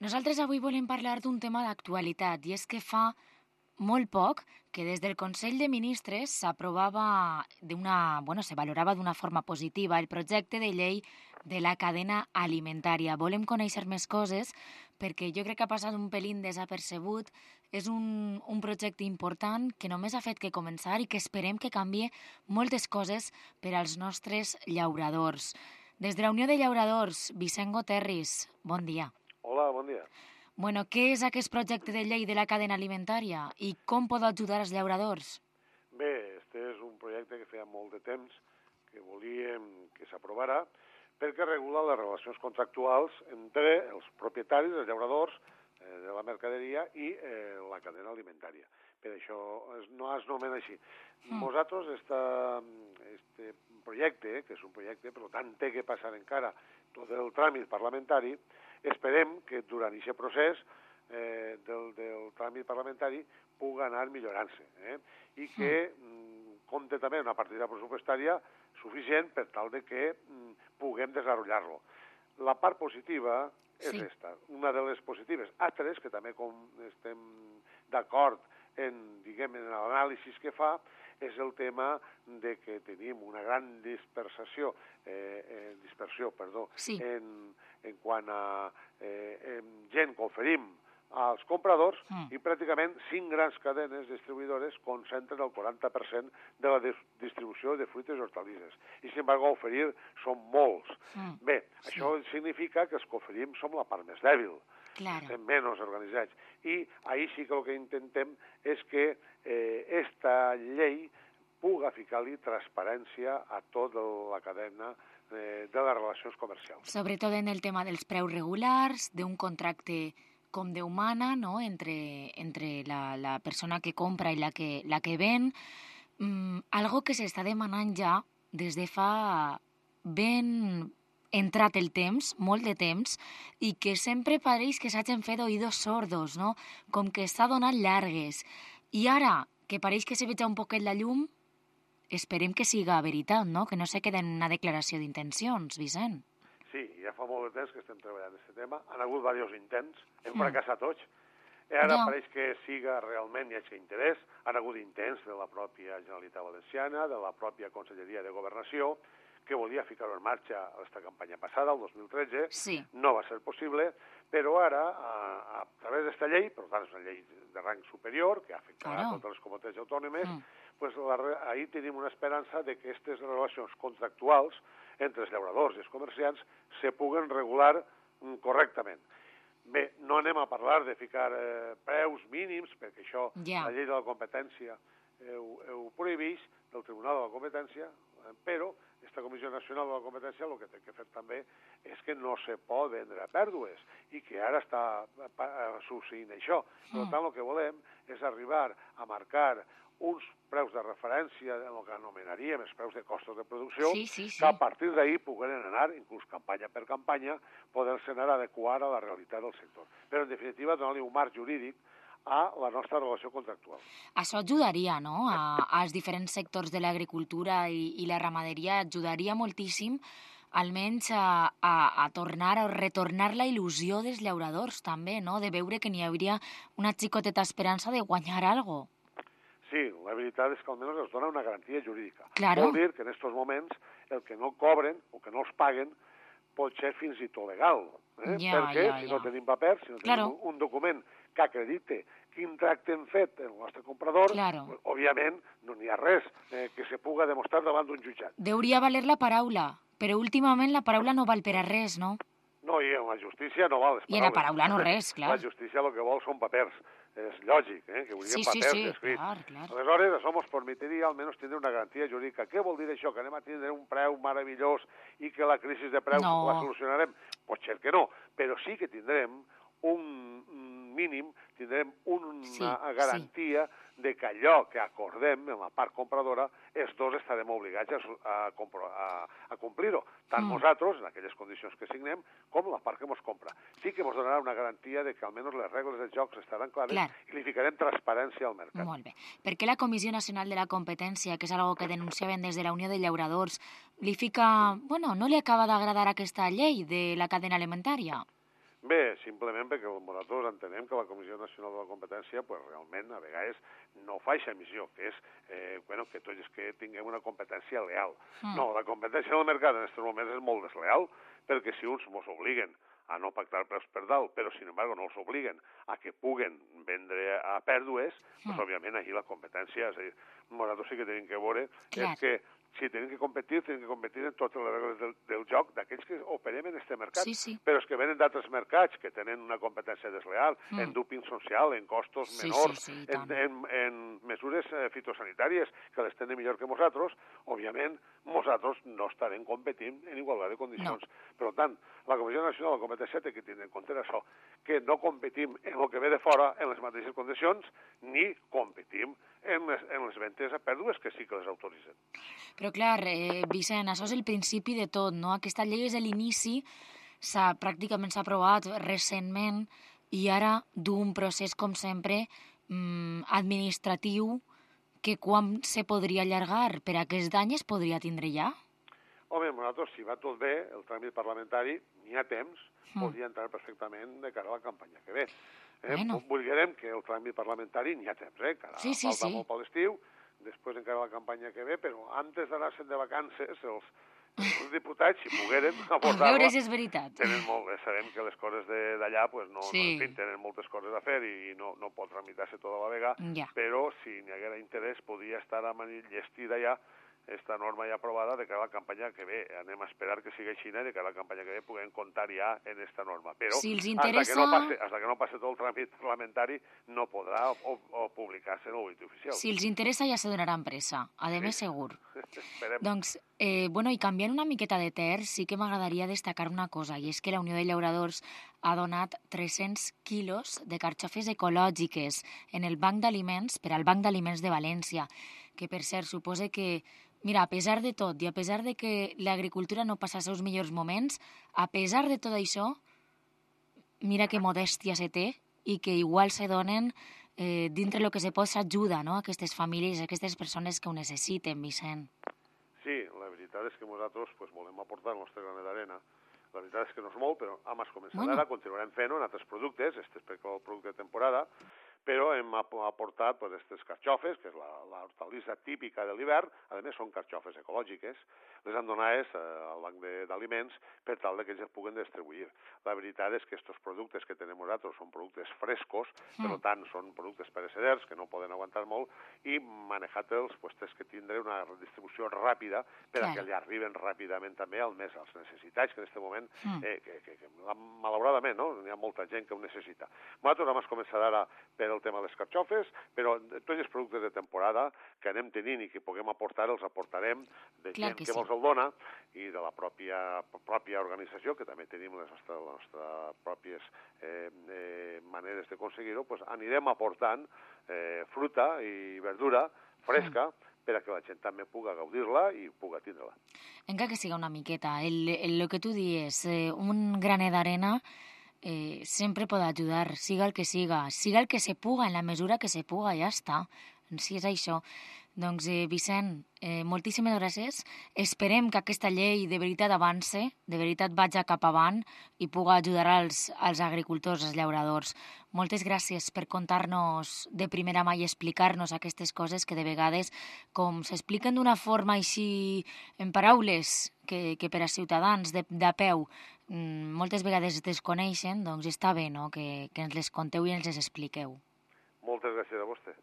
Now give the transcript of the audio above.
Nosaltres avui volem parlar d'un tema d'actualitat i és que fa molt poc que des del Consell de Ministres se valorava d'una forma positiva el projecte de llei de la cadena alimentària. Volem conèixer més coses perquè jo crec que ha passat un pelín desapercebut. És un projecte important que només ha fet que començar i que esperem que canvie moltes coses per als nostres llauradors. Des de la Unió de Llauradors, Vicent Goterris, bon dia. Hola, bon dia. Bueno, què és aquest projecte de llei de la cadena alimentària i com pot ajudar els llauradors? Bé, este és un projecte que feia molt de temps que volíem que s'aprovara perquè regula les relacions contractuals entre els propietaris, els llauradors de la mercaderia i la cadena alimentària. Per això no es nomena així. Nosaltres, este projecte, que és un projecte, per tant, té que passar encara tot el tràmit parlamentari, esperem que durant aquest procés del tràmit parlamentari pugui anar millorant-se i que compte també una partida pressupostària suficient per tal de que puguem desenvolupar-lo. La part positiva és esta, una de les positives. Altres, que també com estem d'acord en l'anàlisi que fa, és el tema de que tenim una gran dispersió en quant a gent que oferim als compradors i pràcticament 5 grans cadenes distribuïdores concentren el 40% de la distribució de fruites i hortalisses. I, sin embargo, oferir són molts. Bé, això significa que els que oferim som la part més dèbil. Estem menys organitzats. I ahir sí que el que intentem és que esta llei puga ficar-li transparència a tota la cadena de les relacions comercials. Sobretot en el tema dels preus regulars, d'un contracte com Déu mana, no? entre la persona que compra i la que ven. Algo que s'està demanant ja des de fa ben entrat el temps, molt de temps, i que sempre pareix que s'hagin fet oïdos sordos, no? Com que s'ha donat llargues. I ara, que pareix que se veja un poquet la llum, esperem que siga veritat, no? Que no se quede en una declaració d'intencions, Vicent. Sí, ja fa molt de temps que estem treballant en aquest tema. Han hagut diversos intents, hem fracassat tots. Ara pareix que siga realment hi hagi interès. Han hagut intents de la pròpia Generalitat Valenciana, de la pròpia Conselleria de Governació, que volia ficar-ho en marxa aquesta campanya passada, el 2013. No va ser possible, però ara, a través d'esta llei, per tant és una llei de rang superior, que afectarà a totes les comunitats autònomes, ahir tenim una esperança de que aquestes relacions contractuals entre els llauradors i els comerciants se puguen regular correctament. Bé, no anem a parlar de ficar preus mínims, perquè això la llei de la competència ho prohibeix, del Tribunal de la Competència, però aquesta Comissió Nacional de la Competència el que té que fer també és que no se pot vendre a pèrdues i que ara està succeint això. Per tant, el que volem és arribar a marcar uns preus de referència en el que anomenaríem els preus de costos de producció, que a partir d'ahir puguen anar, inclús campanya per campanya, poder-se anar a adequar a la realitat del sector. Però, en definitiva, donar-li un marc jurídic a la nostra relació contractual. Això ajudaria, no?, als diferents sectors de l'agricultura i la ramaderia, ajudaria moltíssim almenys a tornar o retornar la il·lusió dels llauradors també, no?, de veure que n'hi hauria una xicoteta esperança de guanyar alguna cosa. Sí, la veritat és que almenys els dona una garantia jurídica. Claro. Vol dir que en aquests moments el que no cobren o que no els paguen pot ser fins i tot legal. Perquè si no tenim papers, si no tenim un document que acredite quin tracte hem fet el nostre comprador, òbviament no n'hi ha res que se puga demostrar davant d'un jutjat. Deuria valer la paraula, però últimament la paraula no val per a res, no? No, i en la justícia no val les paraules. I en la paraula no res, clar. La justícia el que vol són papers. És lògic, que volien papers escrits. Clar. Aleshores, això ens permetria almenys tindre una garantia jurídica. Què vol dir això? Que anem a tindre un preu meravellós i que la crisi de preus la solucionarem? Pot ser que no, però sí que tindrem un mínim, tindrem una garantia de que allò que acordem en la part compradora, els dos estarem obligats a complir-ho, tant nosaltres, en aquelles condicions que signem, com la part que ens compra. Sí que ens donarà una garantia de que almenys les regles dels jocs estaran clares i li ficarem transparència al mercat. Molt bé. Per què la Comissió Nacional de la Competència, que és una cosa que denunciaven des de la Unió de Llauradors, li fica... no li acaba d'agradar aquesta llei de la cadena alimentària? Bé, simplement perquè nosaltres entenem que la Comissió Nacional de la Competència pues, realment a vegades no fa aquesta missió, que és que tots que tinguem una competència leal. No, la competència del mercat en aquests moments és molt desleal, perquè si uns ens obliguen a no pactar preus per dalt, però, sin embargo, no els obliguen a que puguen vendre a pèrdues, doncs, òbviament, aquí la competència, és a dir, nosaltres sí que tenim que veure, és que si tenim que competir en totes les regles del joc d'aquells que operem en aquest mercat. Sí. Però és que venen d'altres mercats que tenen una competència desleal, en dúping social, en costos menors, en mesures fitosanitàries que les tenen millor que nosaltres, òbviament, nosaltres no estarem competint en igualtat de condicions. No. Per tant, la Comissió Nacional de Competència té que tenir en compte això, que no competim en el que ve de fora en les mateixes condicions, ni competim en les ventes a pèrdues, que sí que les autoritzen. Però clar, Vicent, això és el principi de tot, no? Aquesta llei és l'inici, pràcticament s'ha aprovat recentment i ara d'un procés, com sempre, administratiu que quan se podria allargar? Per aquest any es podria tindre ja? Home, nosaltres, si va tot bé, el tràmit parlamentari, n'hi ha temps, podria entrar perfectament de cara a la campanya que ve. Volguérem que el tràmit parlamentari n'hi ha temps, encara falta molt per l'estiu, després encara la campanya que ve, però antes d'anar-se'n de vacances, els diputats, si pogueren abordar-la... A veure si és veritat. Sabem que les coses d'allà, tenen moltes coses a fer i no pot tramitar-se tota la vega, però si n'hi haguera interès, podria estar enllestida ja esta norma ja aprovada de cara a la campanya que ve. Anem a esperar que sigui així i de cara a la campanya que ve puguem comptar ja en esta norma. Però si els interessa... hasta que no passe tot el tràmit parlamentari no podrà publicar-se en el butlletí oficial. Si els interessa ja se donaran pressa, a més segur. Esperem. Doncs, i canviant una miqueta de terç, sí que m'agradaria destacar una cosa, i és que la Unió de Llauradors ha donat 300 quilos de carxofes ecològiques en el Banc d'Aliments, per al Banc d'Aliments de València, que per cert suposa que, mira, a pesar de tot i a pesar de que l'agricultura no passa els seus millors moments, a pesar de tot això, mira que modèstia se té i que igual se donen dintre el que se pot s'ajuda, no?, a aquestes famílies, a aquestes persones que ho necessiten, Vicent. Sí, la veritat és que nosaltres volem aportar el nostre granet d'arena. La veritat és que no és molt, però hem començat ara, continuarem fent-ho en altres productes, este és perquè el producte de temporada, però hem aportat aquestes carxofes, que és l'hortalissa típica de l'hivern, a més són carxofes ecològiques, les hem donades al banc d'aliments per tal que ells es puguen distribuir. La veritat és que aquests productes que tenim nosaltres són productes frescos, per tant són productes pereceders que no poden aguantar molt, i manejar-los tens que tindre una distribució ràpida per a que li arriben ràpidament també als necessitats que en aquest moment, malauradament, hi ha molta gent que ho necessita. Nosaltres hem començat ara per el tema de les carxofes, però tots els productes de temporada que anem tenint i que puguem aportar, els aportarem de gent que mos el dona i de la pròpia organització, que també tenim les nostres pròpies maneres d'aconseguir-ho, anirem aportant fruta i verdura fresca per a que la gent també pugui gaudir-la i pugui tindre-la. Encara que siga una miqueta, el que tu dius, un granet d'arena sempre pot ajudar, siga el que se puga, en la mesura que se puga, ja està. Si és això. Doncs, Vicent, moltíssimes gràcies. Esperem que aquesta llei de veritat avance, de veritat vagi cap avant i pugui ajudar als agricultors, als llauradors. Moltes gràcies per contar-nos de primera mà i explicar-nos aquestes coses que de vegades, com s'expliquen d'una forma així en paraules que per a ciutadans de peu moltes vegades desconeixen, doncs està bé, no?, que ens les conteu i ens les expliqueu. Moltes gràcies a vostè.